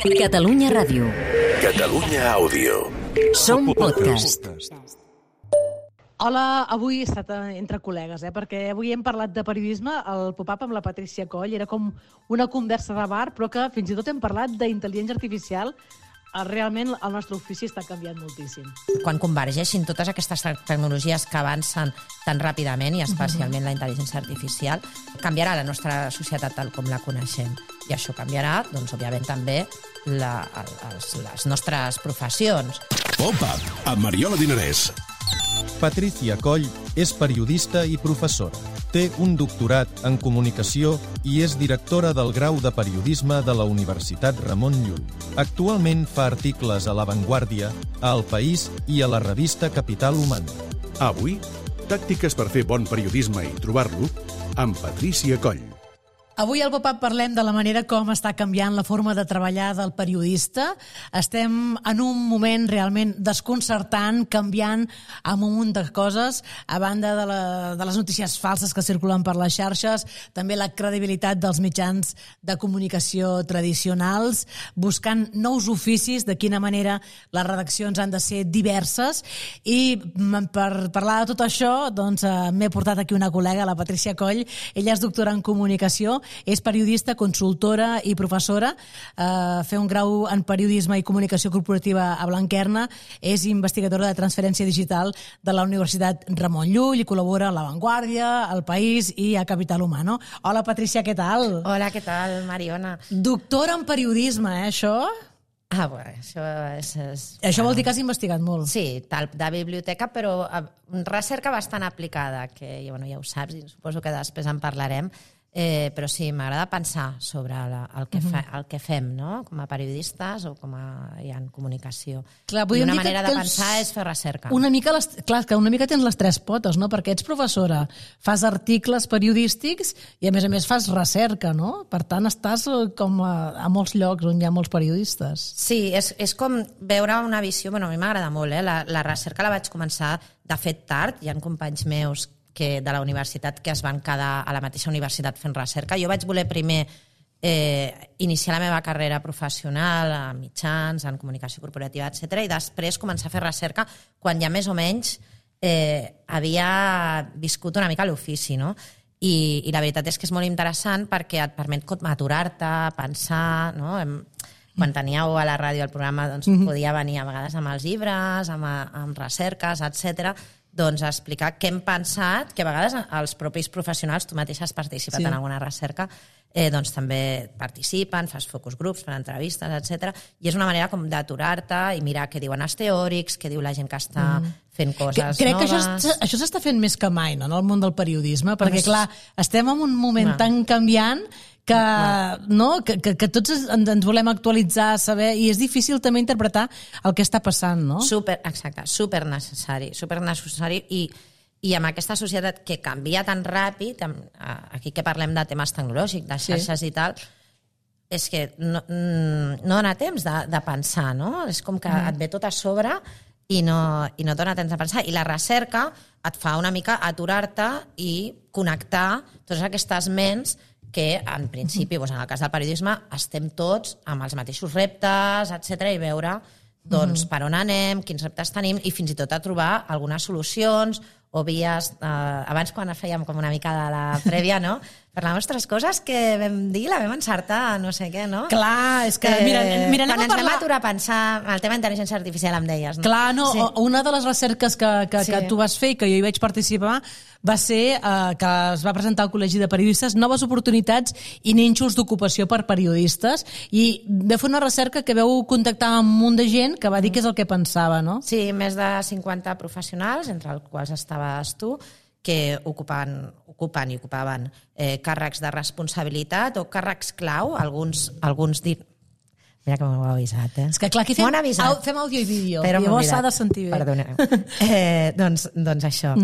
Catalunya Ràdio. Catalunya Àudio. Som podcast. Hola, avui he estat entre col·legues, perquè avui hem parlat de periodisme. El pop-up amb la Patrícia Coll era com una conversa de bar, però que fins i tot hem parlat d'intel·ligència artificial. Realment el nostre ofici està canviant moltíssim. Quan convergeixin totes aquestes tecnologies que avancen tan ràpidament, i especialment la intel·ligència artificial, canviarà la nostra societat tal com la coneixem. I això canviarà, doncs, òbviament, també les nostres professions. Pop-up, amb Mariola Dinarès. Patrícia Coll és periodista i professora. Té un doctorat en comunicació i és directora del grau de periodisme de la Universitat Ramon Llull. Actualment fa articles a La Vanguardia, a El País i a la revista Capital Humana. Avui, tàctiques per fer bon periodisme i trobar-lo amb Patrícia Coll. Avui al Pop-up parlem de la manera com està canviant la forma de treballar del periodista. Estem en un moment realment desconcertant, canviant amb un munt de coses, a banda de les notícies falses que circulen per les xarxes, també la credibilitat dels mitjans de comunicació tradicionals, buscant nous oficis, de quina manera les redaccions han de ser diverses. I per parlar de tot això, doncs, m'he portat aquí una col·lega, la Patrícia Coll. Ella és doctora en comunicació, és periodista, consultora i professora, fer un grau en periodisme i comunicació corporativa a Blanquerna, és investigadora de transferència digital de la Universitat Ramon Llull i col·labora a La Vanguardia, al País i a Capital Humano. Hola, Patrícia, què tal? Hola, què tal, Mariona? Doctora en periodisme, això? Bueno, això és... Això vol dir que has investigat molt. Sí, tal, de biblioteca, però recerca bastant aplicada, que ja ho saps i suposo que després en parlarem. Però sí, m'agrada pensar sobre el que fem, no? Com a periodistes o com en comunicació. Clar, I una manera de pensar és fer recerca. Clar, que una mica tens les tres potes, no? Perquè ets professora, fas articles periodístics i a més fas recerca, no? Per tant, estàs com a molts llocs on hi ha molts periodistes. Sí, és com veure una visió... A mi m'agrada molt, la recerca la vaig començar de fet tard. Hi ha companys meus de la universitat que es van quedar a la mateixa universitat fent recerca. Jo vaig voler primer iniciar la meva carrera professional en mitjans, en comunicació corporativa, etc. i després començar a fer recerca quan ja més o menys havia viscut una mica l'ofici, no? I la veritat és que és molt interessant perquè et permet aturar-te, pensar, no? Quan teníeu a la ràdio el programa, doncs podia venir a vegades amb els llibres, amb recerques, etc., doncs explicar què hem pensat, que a vegades els propis professionals, tu mateixa has participat en alguna recerca, doncs també participen, fas focus groups, fan entrevistes, etc. I és una manera com d'aturar-te i mirar què diuen els teòrics, què diu la gent que està fent coses Crec noves. Que això s'està fent més que mai, no?, en el món del periodisme, perquè, clar, estem en un moment tan canviant que tots ens volem actualitzar, saber, i és difícil també interpretar el que està passant, no? Exacte, supernecessari i amb aquesta societat que canvia tan ràpid, aquí que parlem de temes tecnològics, de xarxes i tal, és que no dona temps de pensar, no? És com que et ve tot a sobre i no dona temps de pensar. I la recerca et fa una mica aturar-te i connectar totes aquestes ments que, en principi, en el cas del periodisme, estem tots amb els mateixos reptes, etc., i veure per on anem, quins reptes tenim, i fins i tot a trobar algunes solucions o vies... Abans, quan fèiem com una mica de la prèvia, no?, per les nostres coses que vam dir, la vam encertar, no sé què, no? Clar, és que... Mira, quan ens vam aturar a pensar el tema d'intel·ligència artificial, em deies, no? Clar, no, una de les recerques que tu vas fer i que jo hi vaig participar va ser que es va presentar al Col·legi de Periodistes noves oportunitats i nínxols d'ocupació per periodistes, i vau fer una recerca que veu contactar amb un munt de gent que va dir què és el que pensava, no? Sí, més de 50 professionals, entre els quals estaves tu, que ocupaven càrrecs de responsabilitat o càrrecs clau, alguns Mira que m'ho heu avisat, És que clar, aquí fem àudio i vídeo, i llavors s'ha de sentir bé. Perdoneu. Doncs això,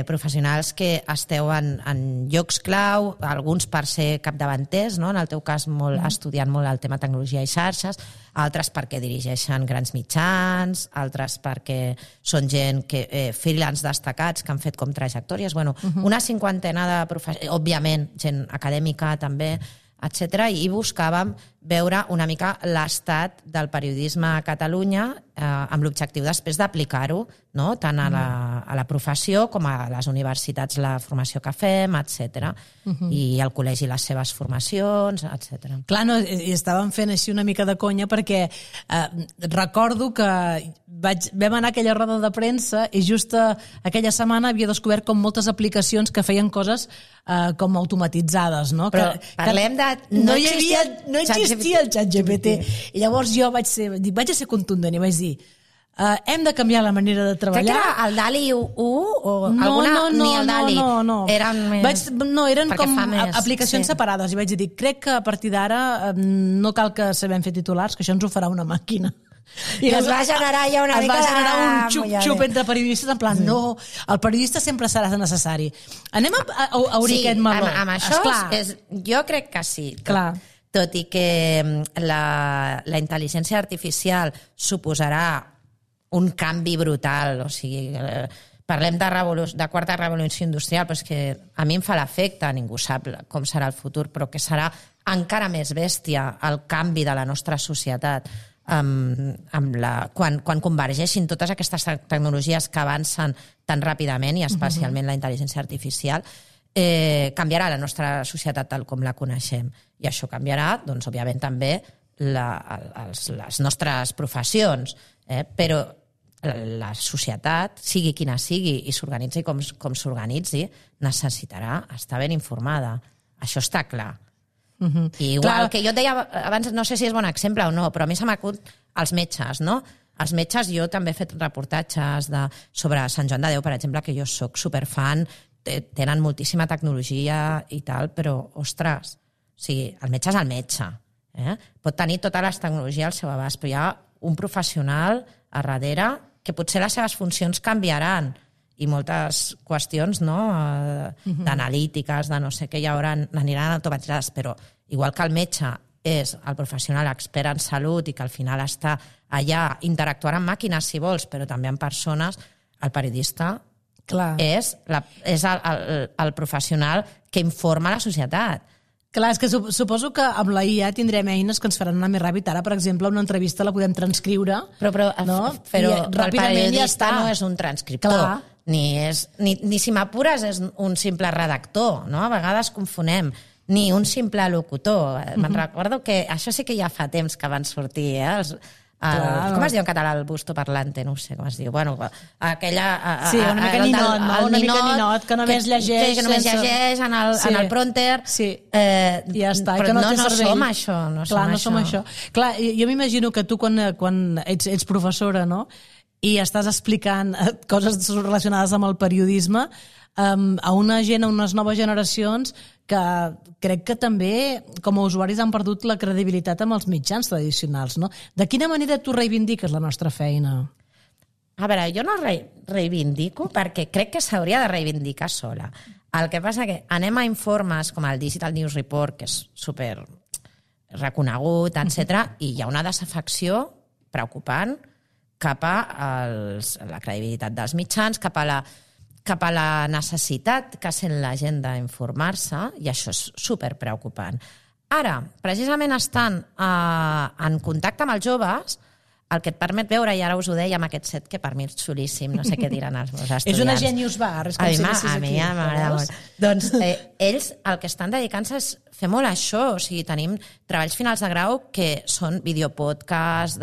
professionals que esteu en llocs clau, alguns per ser capdavanters, no? En el teu cas estudiant molt el tema tecnologia i xarxes, altres perquè dirigeixen grans mitjans, altres perquè són gent freelance destacats que han fet com trajectòries. Una cinquantena de professionals, òbviament gent acadèmica també, etc. I buscàvem veure una mica l'estat del periodisme a Catalunya amb l'objectiu després d'aplicar-ho, no? Tant a la professió com a les universitats, la formació que fem, etc. I al col·legi les seves formacions, etc. Clar, no, i estàvem fent així una mica de conya perquè recordo que vam anar a aquella roda de premsa i just aquella setmana havia descobert com moltes aplicacions que feien coses com automatitzades, no? Però parlem de... No existia el ChatGPT. I llavors jo vaig ser contundent i vaig dir hem de canviar la manera de treballar. Crec que era el DALI 1 o alguna... Ni el DALI. No. Eren com aplicacions separades. I vaig dir, crec que a partir d'ara no cal que sabem fer titulars, que això ens ho farà una màquina. I es va generar ja una mica de... Es va generar un xup-xup entre periodistes, en plan, no, el periodista sempre serà necessari. Anem a obrir aquest meló. Sí, amb això jo crec que sí. Clar. Tot i que la intel·ligència artificial suposarà un canvi brutal, o sigui, parlem de quarta revolució industrial, però és que a mi em fa l'efecte, ningú sap com serà el futur, però que serà encara més bèstia el canvi de la nostra societat quan convergeixin totes aquestes tecnologies que avancen tan ràpidament i especialment la intel·ligència artificial, canviarà la nostra societat tal com la coneixem. I això canviarà, doncs, òbviament, també les nostres professions. Però la societat, sigui quina sigui, i s'organitzi com s'organitzi, necessitarà estar ben informada. Això està clar. I igual que jo et deia abans, no sé si és bon exemple o no, però a mi se m'acut els metges, no? Els metges, jo també he fet reportatges sobre Sant Joan de Déu, per exemple, que jo soc superfan, tenen moltíssima tecnologia i tal, però, ostres, o sigui, el metge és el metge. Pot tenir tota la tecnologia al seu abast, però hi ha un professional a darrere que potser les seves funcions canviaran i moltes qüestions d'analítiques, de no sé què, ja aniran automatitzades, però igual que el metge és el professional expert en salut i que al final està allà, interactuant amb màquines si vols, però també amb persones, el periodista és el professional que informa la societat. Clar, és que suposo que amb la IA tindrem eines que ens faran anar més ràpid. Ara, per exemple, una entrevista la podem transcriure. Però el periodista no és un transcriptor. Ni si m'apures és un simple redactor, no? A vegades confonem. Ni un simple locutor. Me'n recordo que això sí que ja fa temps que van sortir, com es diu en català el busto parlante? No sé com es diu. Bueno, aquella... Sí, una mica ninot, no? Una mica ninot, que només llegeix... Que només llegeix en el prompter. Sí, i ja està. Però no som això. Clar, no som això. Clar, jo m'imagino que tu quan ets professora, no?, i estàs explicant coses relacionades amb el periodisme a una gent, a unes noves generacions que crec que també com a usuaris han perdut la credibilitat amb els mitjans tradicionals, no? De quina manera tu reivindiques la nostra feina? A veure, jo no reivindico perquè crec que s'hauria de reivindicar sola. El que passa que anem a informes com el Digital News Report, que és super reconegut, etc., i hi ha una desafecció preocupant cap a la credibilitat dels mitjans, cap a la necessitat que sent la gent d'informar-se, i això és superpreocupant. Ara, precisament estant en contacte amb els joves, el que et permet veure, i ara us ho deia amb aquest set, que per mi és xulíssim, no sé què diran els meus estudiants. És una genius bar, és com si anessis aquí. A mi m'agrada molt. Doncs ells el que estan dedicant-se és fer molt això, o sigui, tenim treballs finals de grau que són videopodcasts,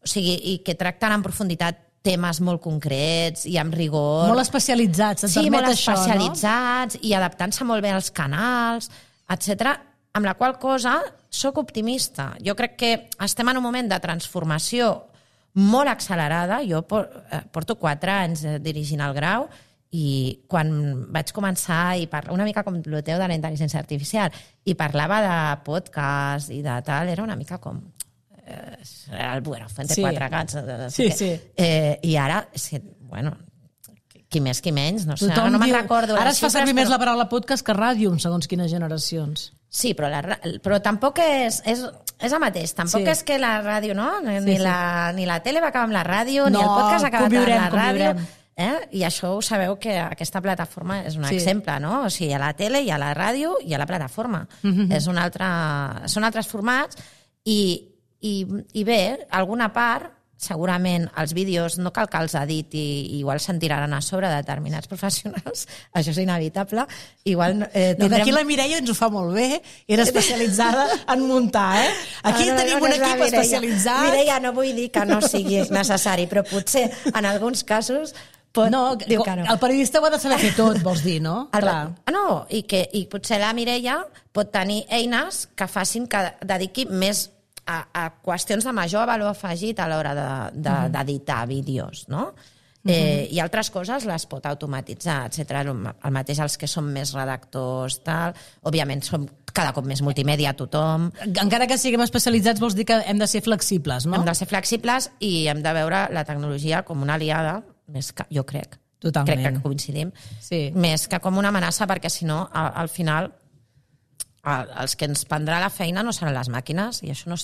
o sigui, i que tracten en profunditat temes molt concrets i amb rigor. Molt especialitzats, et permet això, no? Sí, molt especialitzats i adaptant-se molt bé als canals, etc. Amb la qual cosa soc optimista. Jo crec que estem en un moment de transformació molt accelerada. Jo porto 4 anys dirigint el grau i quan vaig començar una mica com el teu de la intel·ligència artificial i parlava de podcast i de tal, era una mica com... el Buero, Fuente 4 gats. Sí. I ara, bueno, qui més, qui menys, no sé, ara no me'n recordo. Ara es fa servir més la paraula podcast que ràdio, segons quines generacions. Sí, però tampoc és el mateix. Tampoc és que la ràdio, no? Ni la tele va acabar amb la ràdio, ni el podcast ha acabat amb la ràdio. I això ho sabeu que aquesta plataforma és un exemple, no? O sigui, a la tele, i a la ràdio, i a la plataforma. Són altres formats i bé, alguna part, segurament els vídeos no cal que els editi i igual se'n tiraran a sobre determinats professionals, això és inevitable. Igual Aquí la Mireia ens ho fa molt bé, era especialitzada en muntar, Aquí tenim un equip especialitzat. Mireia, no vull dir que no sigui necessari, però potser en alguns casos diu que no. El periodista ho ha de saber fer tot, vols dir, no? No, i potser la Mireia pot tenir eines que facin que dediqui més a qüestions de major valor afegit a l'hora d'editar vídeos, no? I altres coses les pot automatitzar, etc. El mateix els que són més redactors, tal. Òbviament som cada cop més multimèdia tothom. Encara que siguem especialitzats vols dir que hem de ser flexibles, no? Hem de ser flexibles i hem de veure la tecnologia com una aliada, més que, jo crec. Totalment. Crec que coincidim. Més que com una amenaça, perquè si no, al final, els que ens prendrà la feina no seran les màquines, i això no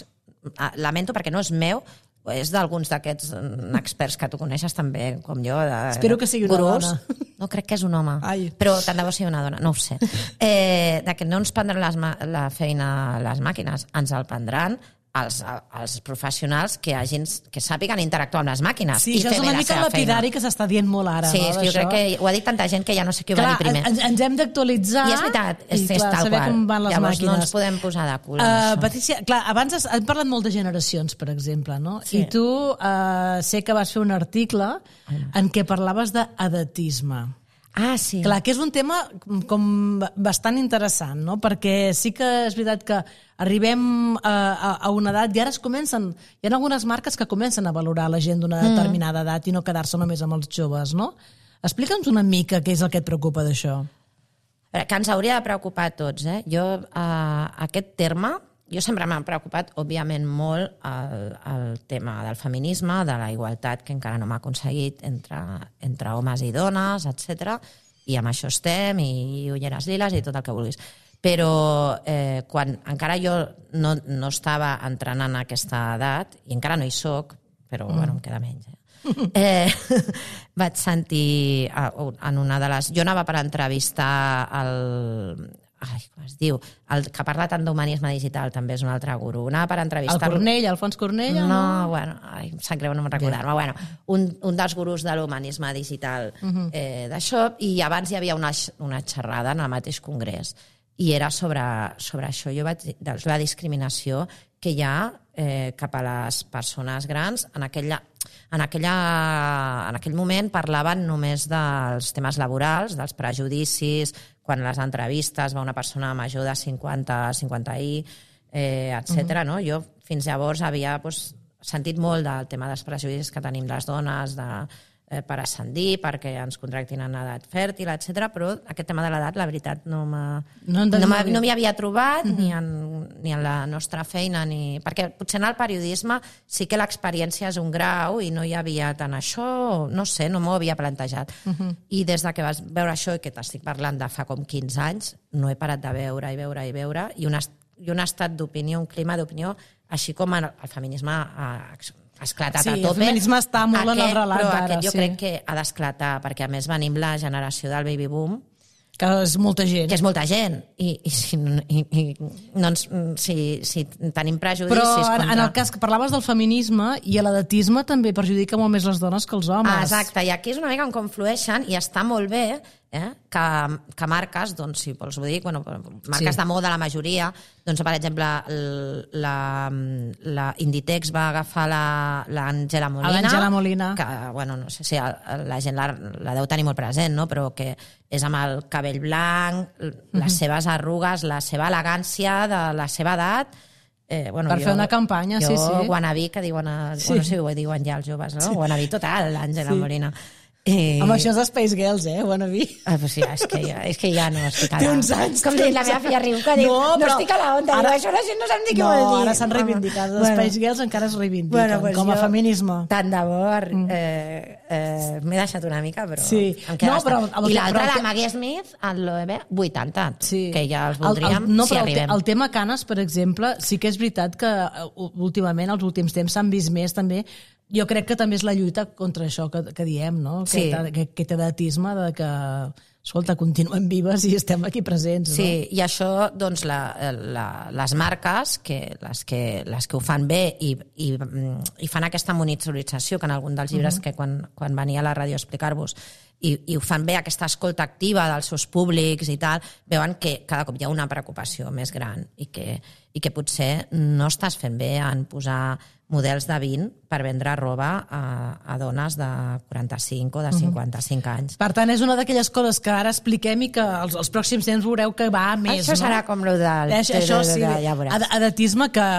lamento perquè no és meu, és d'alguns d'aquests experts que tu coneixes també, com jo. Espero que sigui una dona. No, crec que és un home. Però tant de bo sigui una dona, no ho sé. Que no ens prendran la feina les màquines, ens el prendran els professionals que sàpiguen interactuar amb les màquines. Sí, això és una mica lapidari que s'està dient molt ara. Sí, jo crec que ho ha dit tanta gent que ja no sé qui ho va dir primer. Ens hem d'actualitzar. I és veritat, és tal saber com van les Llavors màquines. No ens podem posar de cul. Patrícia, clar, abans hem parlat molt de generacions, per exemple, no? I tu sé que vas fer un article en què parlaves d'edatisme. Sí. Clar, que és un tema com bastant interessant, no? Perquè sí que és veritat que arribem a una edat i ara hi ha algunes marques que comencen a valorar la gent d'una determinada edat i no quedar-se només amb els joves, no? Explica'ns una mica què és el que et preocupa d'això. Que ens hauria de preocupar a tots, Jo, aquest terme, jo sempre m'ha preocupat, òbviament, molt el tema del feminisme, de la igualtat que encara no m'ha aconseguit entre homes i dones, etc. I amb això estem, i ulleres liles i tot el que vulguis. Però quan encara jo no estava entrant en aquesta edat, i encara no hi soc, però bueno, em queda menys, vaig sentir en una de les... Jo anava per entrevistar com es diu? El que parla tant d'humanisme digital, també és un altre gurú. Anava per entrevistar... Alfons Cornell? No, bueno, em sap greu no me'n recordar-me. Bueno, un dels gurús de l'humanisme digital d'això, i abans hi havia una xerrada en el mateix congrés, i era sobre això. Jo vaig dir la discriminació que hi ha cap a les persones grans. En aquell moment parlaven només dels temes laborals, dels prejudicis, quan a les entrevistes va una persona major de 50i, etc. No? Jo fins llavors havia sentit molt del tema dels prejudicis que tenim les dones per ascendir, perquè ens contractin en edat fèrtil, etc. Però aquest tema de l'edat, la veritat, no m'hi havia trobat ni en la nostra feina, perquè potser en el periodisme sí que l'experiència és un grau i no hi havia tant això, no sé, no m'ho havia plantejat. I des que vas veure això, i que t'estic parlant de fa com 15 anys, no he parat de veure i un estat d'opinió, un clima d'opinió, així com el feminisme ha esclatat a tope. Sí, el feminisme està molt en el relat però ara. Aquest jo crec que ha d'esclatar, perquè a més venim la generació del baby boom, que és molta gent. Que és molta gent. I si tenim prejudicis... Però en el cas que parlaves del feminisme, i l'edatisme també perjudica molt més les dones que els homes. Exacte, i aquí és una mica on conflueixen, i està molt bé que marques, doncs, si vols ho dir, marques de moda, la majoria, doncs, per exemple, la Inditex va agafar l'Àngela Molina, que, no sé si la gent la deu tenir molt present, no? Però que és amb el cabell blanc, les seves arrugues, la seva elegància de la seva edat, per fer una campanya, sí. Wannabe, que diuen, no sé si ho diuen ja els joves, no? Wannabe total, l'Àngela Molina. Amb això és Space Girls, Wannabe. Sí, és que ja no estic a la... Té uns anys. Com diu la meva filla riu, que diu, no estic a la onda. Això la gent no sap ni què vol dir. No, ara s'han reivindicat. Les Space Girls encara es reivindiquen, com a feminisme. Tant de bo, m'he deixat una mica, però... Sí. I l'altra, la Maggie Smith, el l'OEB, 80, que ja els voldríem si arribem. El tema canes, per exemple, sí que és veritat que últimament, els últims temps, s'han vist més també Jo crec que també és la lluita contra això que diem, no? Sí. Aquest edatisme de que, escolta, continuem vives i estem aquí presents, no? Sí, i això, doncs, les marques, les que ho fan bé i fan aquesta monitorització, que en algun dels llibres que quan venia a la ràdio a explicar-vos, i ho fan bé, aquesta escolta activa dels seus públics i tal, veuen que cada cop hi ha una preocupació més gran i que potser no estàs fent bé en posar models de 20 per vendre roba a dones de 45 o de 55 anys. Per tant, és una d'aquelles coses que ara expliquem i que els pròxims temps veureu que va a més, Això serà com el del... Això sí, ja veuràs. edatisme que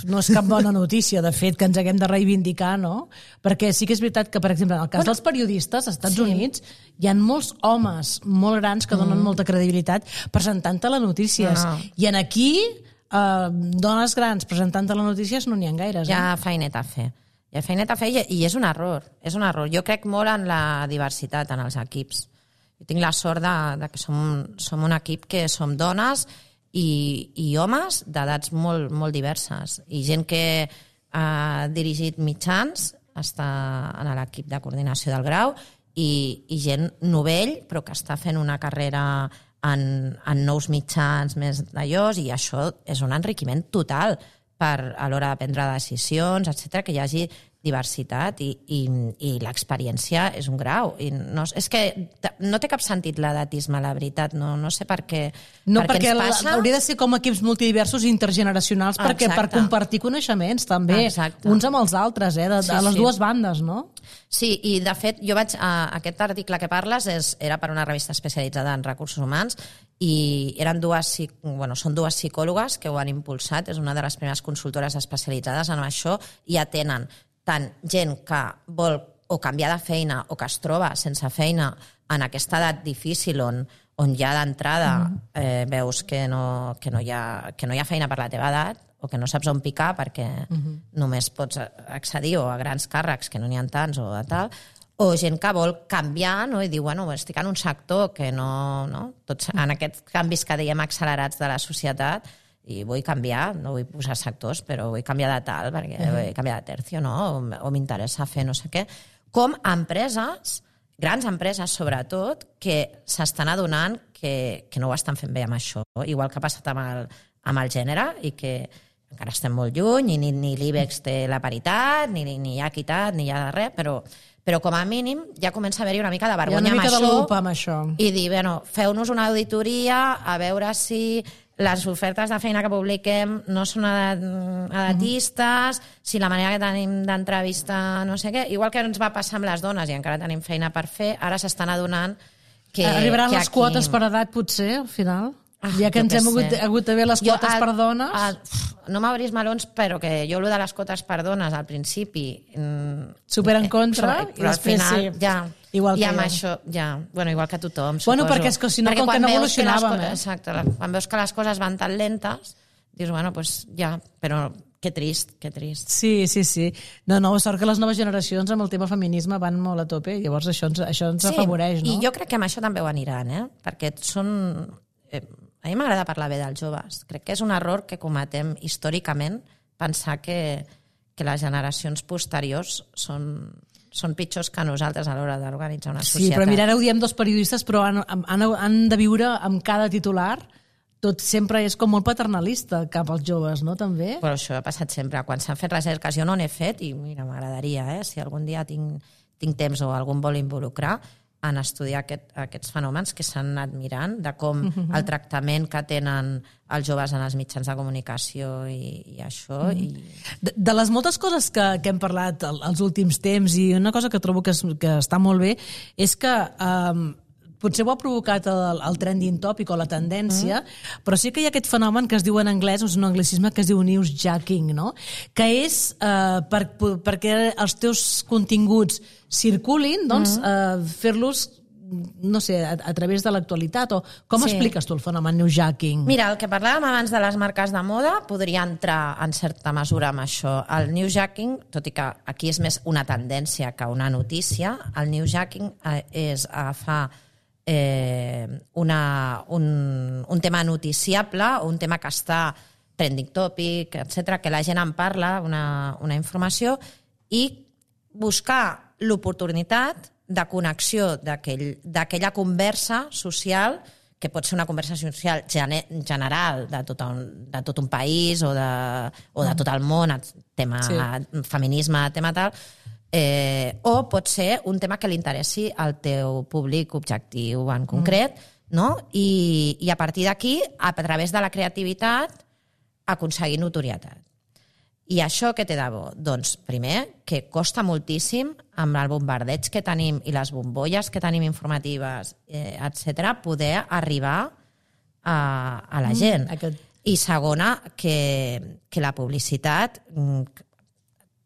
no és cap bona notícia, de fet, que ens haguem de reivindicar, no? Perquè sí que és veritat que, per exemple, en el cas dels periodistes als Estats Units, hi ha molts homes molt grans que donen molta credibilitat presentant-te les notícies. I en aquí, dones grans presentant-te les notícies no n'hi ha gaires. Hi ha feineta a fer. Hi ha feineta a fer i és un error. És un error. Jo crec molt en la diversitat en els equips. Jo tinc la sort de que som un equip que som dones i homes d'edats molt, molt diverses. I gent que ha dirigit mitjans, està en l'equip de coordinació del grau, i gent novell, però que està fent una carrera en nous mitjans més d'allòs, i això és un enriquiment total a l'hora de prendre decisions, etc, que hi hagi diversitat i l'experiència és un grau. I és que no té cap sentit l'edatisme, la veritat. No sé per què, perquè ens passa. Hauria de ser com equips multidiversos i intergeneracionals per compartir coneixements també, uns amb els altres, de les dues bandes, no? Sí, i de fet, aquest article que parles era per una revista especialitzada en recursos humans i són dues psicòlogues que ho han impulsat, és una de les primeres consultores especialitzades en això, i atenen tant gent que vol o canviar de feina o que es troba sense feina en aquesta edat difícil on ja d'entrada veus que no hi ha feina per la teva edat o que no saps on picar perquè només pots accedir o a grans càrrecs que no n'hi ha tants o a tal, o gent que vol canviar, no? I diu, estic en un sector que tots en aquests canvis que diem accelerats de la societat, i vull canviar, no vull posar sectors, però vull canviar de tal, perquè vull canviar de tercio, no? O m'interessa fer no sé què. Com empreses, grans empreses sobretot, que s'estan adonant que no ho estan fent bé amb això, igual que ha passat amb el gènere, i que encara estem molt lluny, i ni l'IBEX té la paritat, ni hi ha equitat, ni hi ha res, però com a mínim ja comença a haver-hi una mica de vergonya amb això. I dir, feu-nos una auditoria a veure si les ofertes de feina que publiquem no són edatistes, si la manera que tenim d'entrevistar no sé què, igual que ens va passar amb les dones i encara tenim feina per fer, ara s'estan adonant que arribaran les aquí... quotes per edat, potser, al final? Ja que ens hem hagut de ver les quotes per dones... No m'obris melons, però que jo allò de les quotes per dones al principi... Super en contra, però al final ja... Igual que amb això, igual que tothom, suposo. Perquè és que si no, com que no evolucionàvem. Exacte, quan veus que les coses van tan lentes, dius, però que trist. Sí. No, sort que les noves generacions amb el tema feminisme van molt a tope, llavors això ens afavoreix, no? I jo crec que amb això també ho aniran, perquè són... A mi m'agrada parlar bé dels joves. Crec que és un error que cometem històricament pensar que les generacions posteriors són pitjors que nosaltres a l'hora d'organitzar una societat. Sí, però mira, ara ho diem dos periodistes, però han de viure amb cada titular. Tot sempre és com molt paternalista cap als joves, no? També? Però això ha passat sempre. Quan s'han fet recerques, jo no n'he fet, i mira, m'agradaria, si algun dia tinc temps o algú em vol involucrar, en estudiar aquests fenòmens que s'han anat mirant, de com el tractament que tenen els joves en els mitjans de comunicació i això. De les moltes coses que hem parlat els últims temps, i una cosa que trobo que està molt bé, és que potser ho ha provocat el trending topic o la tendència, però sí que hi ha aquest fenomen que es diu en anglès, és un anglicisme que es diu newsjacking, no? Que és perquè els teus continguts circulin, doncs fer-los, no sé, a través de l'actualitat, o com expliques tu el fenomen newsjacking? Mira, el que parlàvem abans de les marques de moda podria entrar en certa mesura amb això. El newsjacking, tot i que aquí és més una tendència que una notícia, el newsjacking és agafar un tema noticiable, un tema que està trending topic, etc, que la gent en parla, una informació, i buscar l'oportunitat de connexió d'aquella conversa social, que pot ser una conversa social general de tot un país o de tot el món, tema feminisme, tema tal, o pot ser un tema que li interessi al teu públic objectiu en concret, no? I a partir d'aquí, a través de la creativitat, aconseguir notorietat. I això què té de bo? Doncs, primer, que costa moltíssim amb el bombardeig que tenim i les bombolles que tenim informatives, etc., poder arribar a la gent. I segona, que la publicitat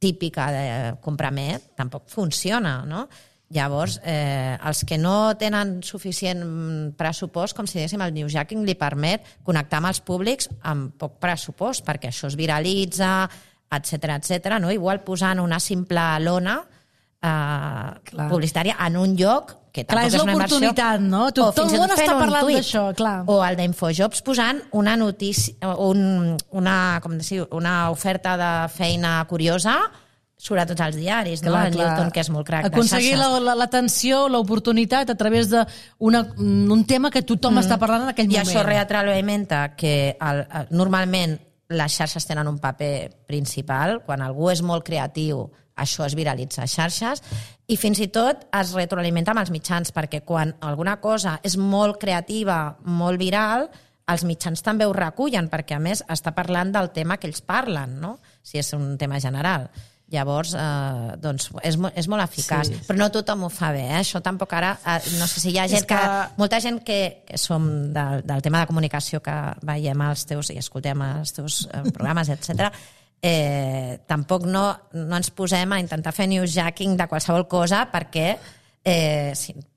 típica de compramet tampoc funciona, no? Llavors, els que no tenen suficient pressupost, com si diguéssim, el newsjacking li permet connectar amb els públics amb poc pressupost, perquè això es viralitza, etc., no? Igual posant una simple lona publicitària en un lloc que tampoc és una inversió. És l'oportunitat, no? Tot el món està parlant d'això, clar. O el d'Infojobs posant una notícia, una oferta de feina curiosa surt a tots els diaris, no? El Newton, que és molt crac de xarxes. Aconseguir l'atenció, l'oportunitat a través d'un tema que tothom està parlant en aquell moment. I això retroalimenta que normalment les xarxes tenen un paper principal. Quan algú és molt creatiu, això es viralitza a xarxes, i fins i tot es retroalimenta amb els mitjans, perquè quan alguna cosa és molt creativa, molt viral, els mitjans també ho recullen, perquè a més està parlant del tema que ells parlen, no? Si és un tema general. Llavors, doncs, és molt eficaç. Sí. Però no tothom ho fa bé, Això tampoc ara... No sé si hi ha gent molta gent que som del tema de comunicació, que veiem els teus i escoltem els teus programes, etc. Tampoc no ens posem a intentar fer newsjacking de qualsevol cosa, perquè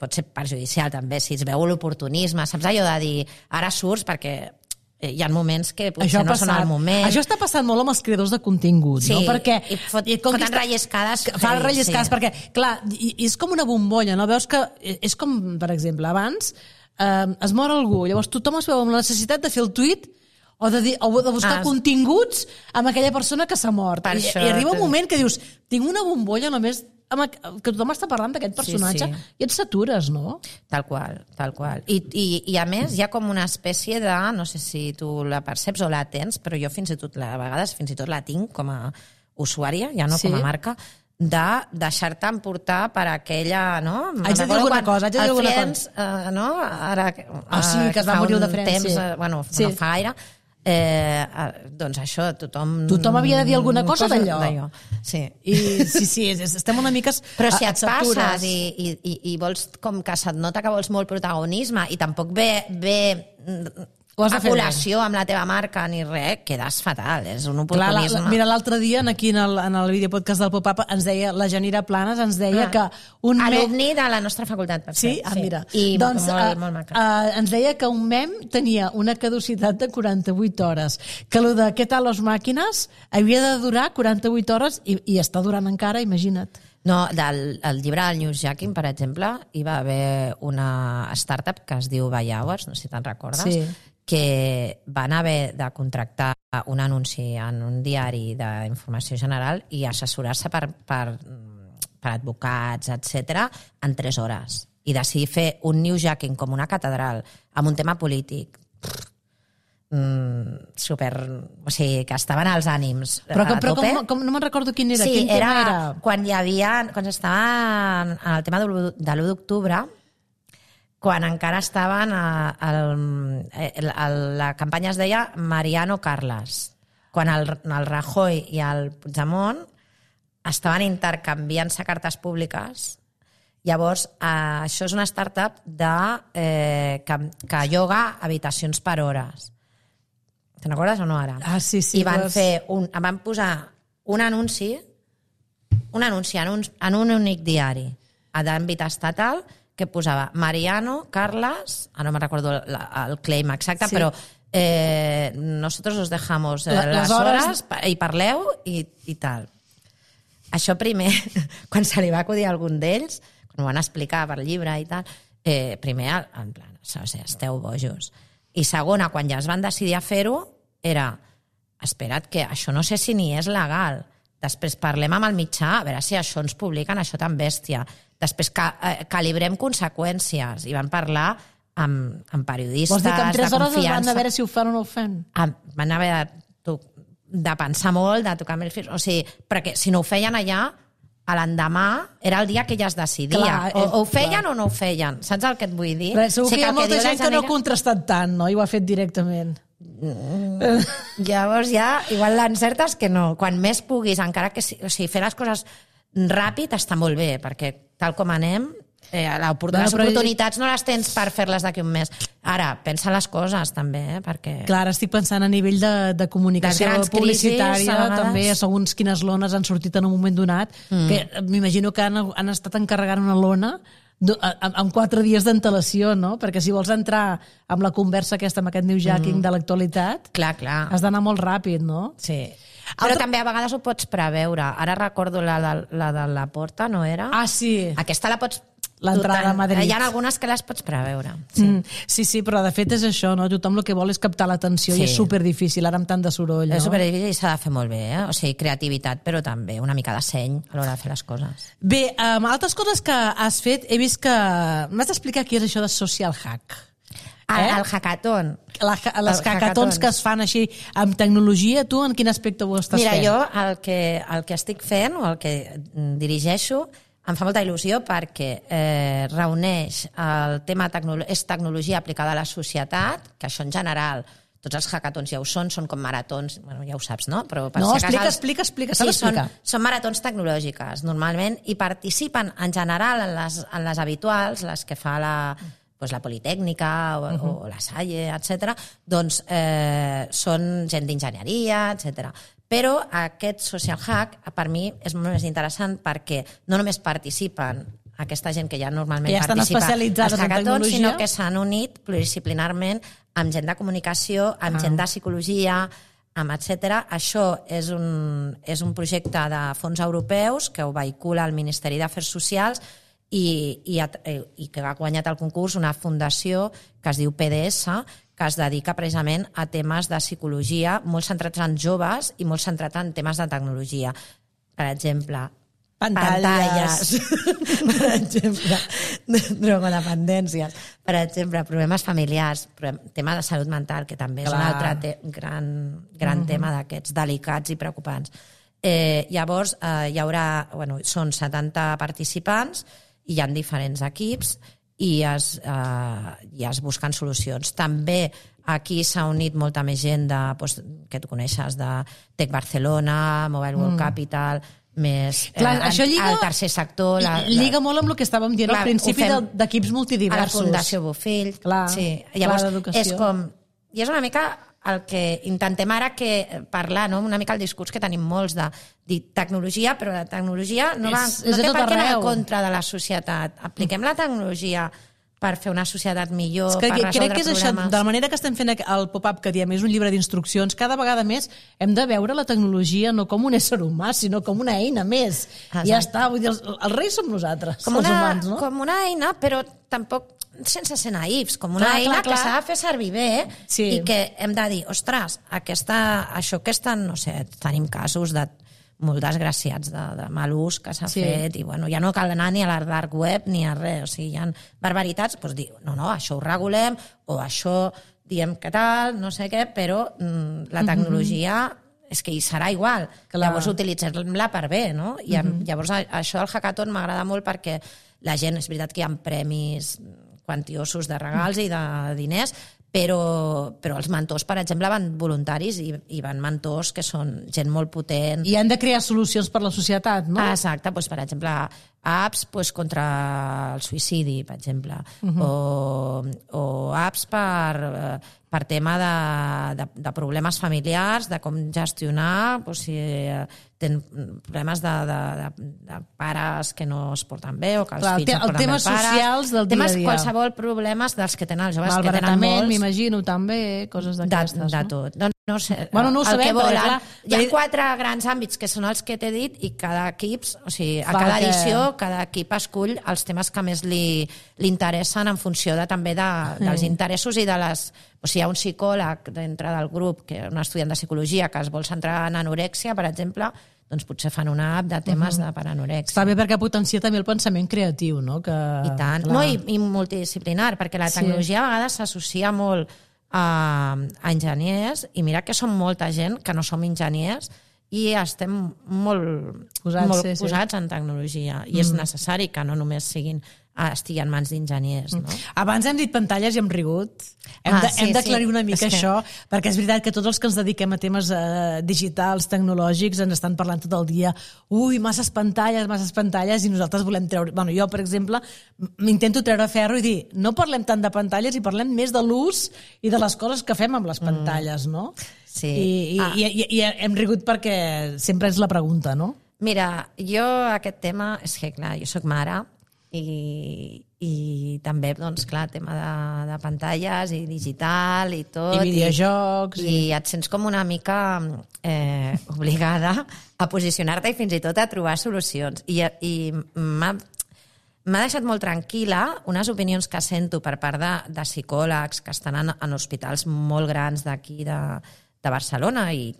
pot ser perjudicial també, si es veu l'oportunisme, saps allò de dir ara surts perquè hi ha moments que potser no són al moment. Això està passant molt amb els creadors de contingut, no? Perquè foten relliscades. Fan relliscades, perquè, clar, és com una bombolla, no? Veus que és com, per exemple, abans es mor algú, llavors tothom es veu amb la necessitat de fer el tuit o de buscar continguts amb aquella persona que s'ha mort. I arriba un moment que dius, tinc una bombolla només que tothom està parlant d'aquest personatge, i et satures, no? Tal qual. I a més hi ha com una espècie de, no sé si tu la perceps o la tens, però jo a vegades fins i tot la tinc com a usuària, ja no com a marca, de deixar-te emportar per aquella, no? Haig de dir alguna cosa. El Friends, no? Ara, sí, que es va morir el de Friends. Bueno, no fa gaire, doncs això, tothom havia de dir alguna cosa d'allò. Sí. Sí, estem una mica però si et passes i vols, com que se't nota que vols molt protagonisme i tampoc ve a col·lació amb la teva marca ni res, quedes fatal, és un oportunisme. Mira, l'altre dia aquí en el videopodcast del Pop-Up ens deia, la Janira Planes ens deia que un alumni de la nostra facultat, per cert. Sí? Mira. I doncs, molt maca. Ens deia que un mem tenia una caducitat de 48 hores, que el de Què tal les màquines havia de durar 48 hores i està durant encara, imagina't. No, del llibre del newsjacking, per exemple, hi va haver una startup que es diu By Hours, no sé si te'n recordes, que van haver de contractar un anunci en un diari d'informació general i assessorar-se per advocats, etc., en 3 hores. I decidir fer un newsjacking com una catedral, amb un tema polític, super... O sigui, que estaven als ànims però com no me'n recordo quin era. Sí, era quan estava en el tema de l'1 d'octubre, quan encara estaven la campanya es deia Mariano Carles, quan el Rajoy i el Puigdemont estaven intercanviant-se cartes públiques. Llavors, això és una startup que lloga habitacions per hores. Te'n recordes o no ara? Sí. I van posar un anunci en un únic diari d'àmbit estatal que posava Mariano, Carles, no me recordo el claim exacte, però nosotros os dejamos les hores i parleu i tal. Això primer, quan se li va acudir a algun d'ells, quan ho van explicar per llibre i tal, primer, en plan, esteu bojos. I segona, quan ja es van decidir a fer-ho, era, espera't, que això no sé si ni és legal, Després parlem amb el mitjà, a veure si això ens publiquen, això tan bèstia. Després calibrem conseqüències i van parlar amb periodistes Vols dir que en 3 hores confiança. van a veure si ho fan o no ho fan? Van haver de pensar molt, de tocar amb els fills, o sigui, perquè si no ho feien allà, a l'endemà era el dia que ja es decidia. Clar, o ho feien o no ho feien. Saps el que et vull dir? Però segur que hi ha molta gent que no ha Janeiro... contrastat tant, no? I ho ha fet directament. Llavors ja, igual l'encertes que no. Quan més puguis, encara que fer les coses ràpid està molt bé, perquè tal com anem, les oportunitats no les tens per fer-les d'aquí un mes. Ara, pensa les coses també, perquè... Clar, estic pensant a nivell de comunicació publicitària, també segons quines lones han sortit en un moment donat, que m'imagino que han estat encarregant una lona amb 4 dies d'antelació, no? Perquè si vols entrar amb la conversa aquesta, amb aquest newsjacking de l'actualitat, clar. Has d'anar molt ràpid, no? Sí. Però també a vegades ho pots preveure. Ara recordo la de la Porta, no era? Ah, sí. Aquesta la pots... L'entrada a Madrid. Hi ha algunes que les pots preveure. Sí, però de fet és això, no? Tothom el que vol és captar l'atenció i és superdifícil, ara amb tant de soroll, no? És superdifícil i s'ha de fer molt bé, O sigui, creativitat, però també una mica de seny a l'hora de fer les coses. Bé, altres coses que has fet, he vist que... M'has d'explicar què és això de social hack. El hackathon. Les hackatons que es fan així amb tecnologia, tu en quin aspecte ho estàs fent? Mira, jo el que estic fent o el que dirigeixo em fa molta il·lusió perquè reuneix el tema és tecnologia aplicada a la societat, que això en general, tots els hackatons ja ho són com maratons, bueno, ja ho saps, no? Però no, explica, sí, són maratons tecnològiques, normalment, i participen en general en les habituals, les que fa la Politècnica o la Salle, etc. Doncs són gent d'enginyeria, etc. Però aquest social hack, per mi, és molt més interessant perquè no només participen aquesta gent que ja normalment participa als hackatons, sinó que s'han unit pluridisciplinarment amb gent de comunicació, amb gent de psicologia, etc. Això és un projecte de fons europeus que ho vehicula el Ministeri d'Afers Socials i que ha guanyat el concurs una fundació que es diu PDS, que es dedica precisament a temes de psicologia molt centrats en joves i molt centrats en temes de tecnologia. Per exemple, pantalles. Per exemple, drogodependències. Per exemple, problemes familiars, tema de salut mental, que també és un altre gran tema d'aquests delicats i preocupants. Llavors, hi haurà, són 70 participants i hi ha diferents equips i es busquen solucions. També aquí s'ha unit molta més gent que tu coneixes, de Tech Barcelona, Mobile World Capital, més el tercer sector. Lliga molt amb el que estàvem dient al principi d'equips multidiversos. A la Fundació Bofill. Llavors, és una mica el que intentem ara parlar, una mica el discurs que tenim molts de dir tecnologia, però la tecnologia no té per què anar en contra de la societat. Apliquem la tecnologia per fer una societat millor, per resoldre problemes. Crec que és això, de la manera que estem fent el pop-up que diem, és un llibre d'instruccions, cada vegada més hem de veure la tecnologia no com un ésser humà, sinó com una eina més. I ja està, vull dir, els reis som nosaltres, els humans, no? Com una eina, però tampoc sense ser naïfs, com una eina que s'ha de fer servir bé i que hem de dir, ostres, això que estan, no sé, tenim casos de molt desgraciats de mal ús que s'ha fet i ja no cal anar ni a la dark web ni a res, o sigui, hi ha barbaritats, doncs dir, no, això ho regulem o això diem que tal, no sé què, però la tecnologia és que hi serà igual, llavors utilitzem-la per bé, no? I llavors això del hackathon m'agrada molt perquè la gent, és veritat que hi ha premis quantiosos de regals i de diners, però els mentors, per exemple, van voluntaris i van mentors que són gent molt potent. I han de crear solucions per la societat, no? Exacte, per exemple, apps contra el suïcidi, per exemple, o apps per tema de problemes familiars, de com gestionar, si tenen problemes de pares que no es porten bé o que els fills no porten bé el temes socials del dia a dia. Qualsevol problemes dels que tenen els joves, que tenen malbaratament, molts. m'imagino, també, coses d'aquestes. De tot. No sé, no ho sabem, però clar, hi ha 4 grans àmbits que són els que t'he dit i cada equip, o sigui, a cada edició, cada equip escull els temes que més li interessen en funció també dels interessos i de les... O sigui, hi ha un psicòleg dintre del grup, que és un estudiant de psicologia, que es vol centrar en anorèxia, per exemple, doncs potser fan una app de temes de per anorèxia. Està bé perquè potencia també el pensament creatiu, no? I tant. No, i multidisciplinar, perquè la tecnologia a vegades s'associa molt a enginyers, i mira que som molta gent que no som enginyers i estem molt posats en tecnologia, i és necessari que no només estigui en mans d'enginyers. No? Abans hem dit pantalles i hem rigut. Hem d'aclarir una mica això, perquè és veritat que tots els que ens dediquem a temes digitals, tecnològics, ens estan parlant tot el dia, masses pantalles, i nosaltres volem treure... Bueno, jo, per exemple, m'intento treure ferro i dir, no parlem tant de pantalles i parlem més de l'ús i de les coses que fem amb les pantalles, no? Sí. I hem rigut perquè sempre és la pregunta, no? Mira, jo aquest tema, és que clar, jo soc mare, i també, doncs, clar, tema de pantalles i digital i tot. I videojocs. I et sents com una mica obligada a posicionar-te i fins i tot a trobar solucions. I m'ha deixat molt tranquil·la unes opinions que sento per part de psicòlegs que estan en hospitals molt grans d'aquí de Barcelona i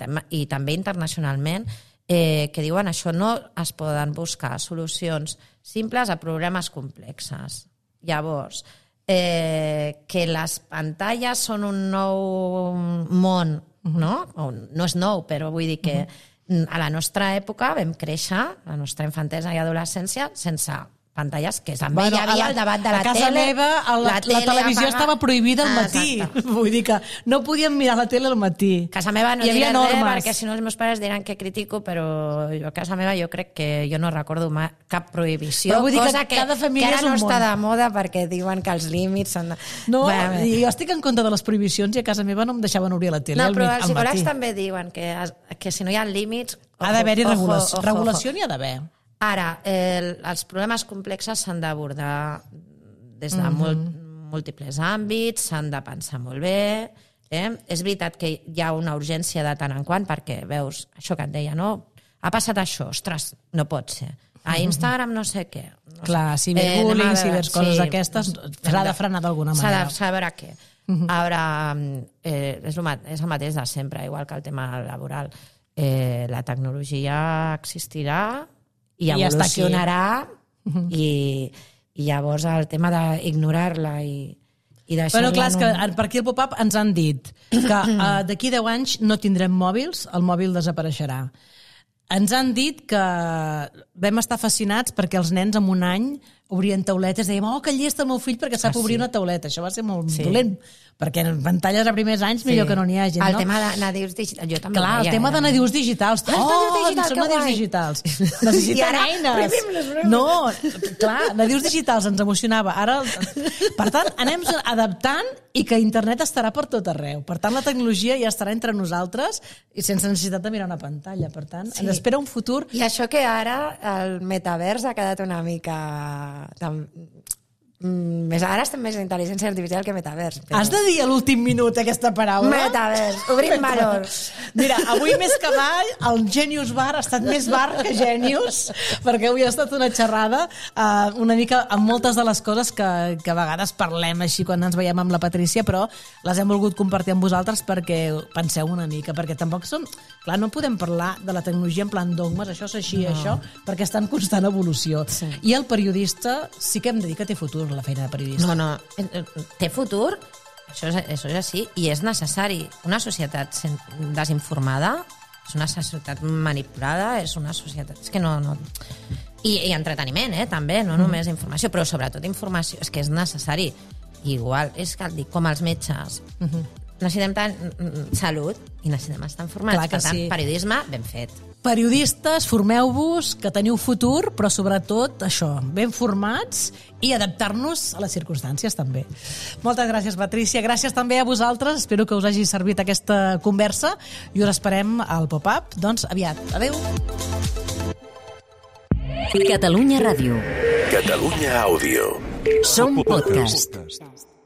també internacionalment, que diuen això, no es poden buscar solucions simples a problemes complexes. Llavors, que les pantalles són un nou món, no? No és nou, però vull dir que a la nostra època vam créixer, la nostra infantesa i adolescència, sense pantalles, que també hi havia el debat de la tele. A casa meva la televisió estava prohibida al matí. Vull dir que no podíem mirar la tele al matí. A casa meva no diré res, perquè si no els meus pares diran que critico, però jo a casa meva jo crec que jo no recordo cap prohibició, cosa que ara no està de moda perquè diuen que els límits són... No, jo estic en contra de les prohibicions i a casa meva no em deixaven obrir la tele al matí. No, però els psicòlegs també diuen que si no hi ha límits... Ha d'haver-hi regulació. Regulació n'hi ha d'haver. Ara, els problemes complexes s'han d'abordar des de múltiples àmbits, s'han de pensar molt bé. És veritat que hi ha una urgència de tant en quant, perquè veus això que et deia, no? Ha passat això, ostres, no pot ser. A Instagram no sé què. Clar, ciberbullying, cibercoses aquestes, s'ha de frenar d'alguna manera. S'ha de veure què. Ara, és el mateix de sempre, igual que el tema laboral. La tecnologia existirà i evolucionarà, i llavors el tema d'ignorar-la i deixar-la... Però clar, és que per aquí al Pop-Up ens han dit que d'aquí 10 anys no tindrem mòbils, el mòbil desapareixerà. Ens han dit que vam estar fascinats perquè els nens en un any obrien tauletes, dèiem, que llest el meu fill perquè sap obrir una tauleta. Això va ser molt dolent, perquè en pantalles a primers anys millor que no n'hi hagi. El tema de nadius digitals, jo també. Clar, el tema de nadius digitals. Són nadius digitals. Necessitem eines. No, clar, nadius digitals ens emocionava. Ara, per tant, anem adaptant i que internet estarà per tot arreu. Per tant, la tecnologia ja estarà entre nosaltres i sense necessitat de mirar una pantalla. Per tant, ens espera un futur... I això que ara el metavers ha quedat una mica... Ara estem més en intel·ligència artificial que metavers. Has de dir a l'últim minut aquesta paraula? Metavers, obrim valors. Mira, avui més que mai el Genius Bar ha estat més bar que Genius, perquè avui ha estat una xerrada una mica amb moltes de les coses que a vegades parlem així quan ens veiem amb la Patrícia, però les hem volgut compartir amb vosaltres perquè penseu una mica, perquè tampoc són... Clar, no podem parlar de la tecnologia en plan dogmes, això és així, això, perquè està en constant evolució. I el periodista sí que hem de dir que té futur, la feina de periodista. No, té futur, això és així, i és necessari. Una societat desinformada és una societat manipulada, és una societat... És que no... I entreteniment, també, no només informació, però sobretot informació, és que és necessari. Igual, és que dic, com els metges. Necessitem tant salut i necessitem estar informats. Per tant, periodisme ben fet. Periodistes, formeu-vos, que teniu futur, però sobretot això, ben formats i adaptar-nos a les circumstàncies també. Moltes gràcies, Patrícia. Gràcies també a vosaltres. Espero que us hagi servit aquesta conversa i us esperem al Pop-Up, doncs, aviat. Adéu. Catalunya Ràdio. Catalunya Àudio. Som podcast.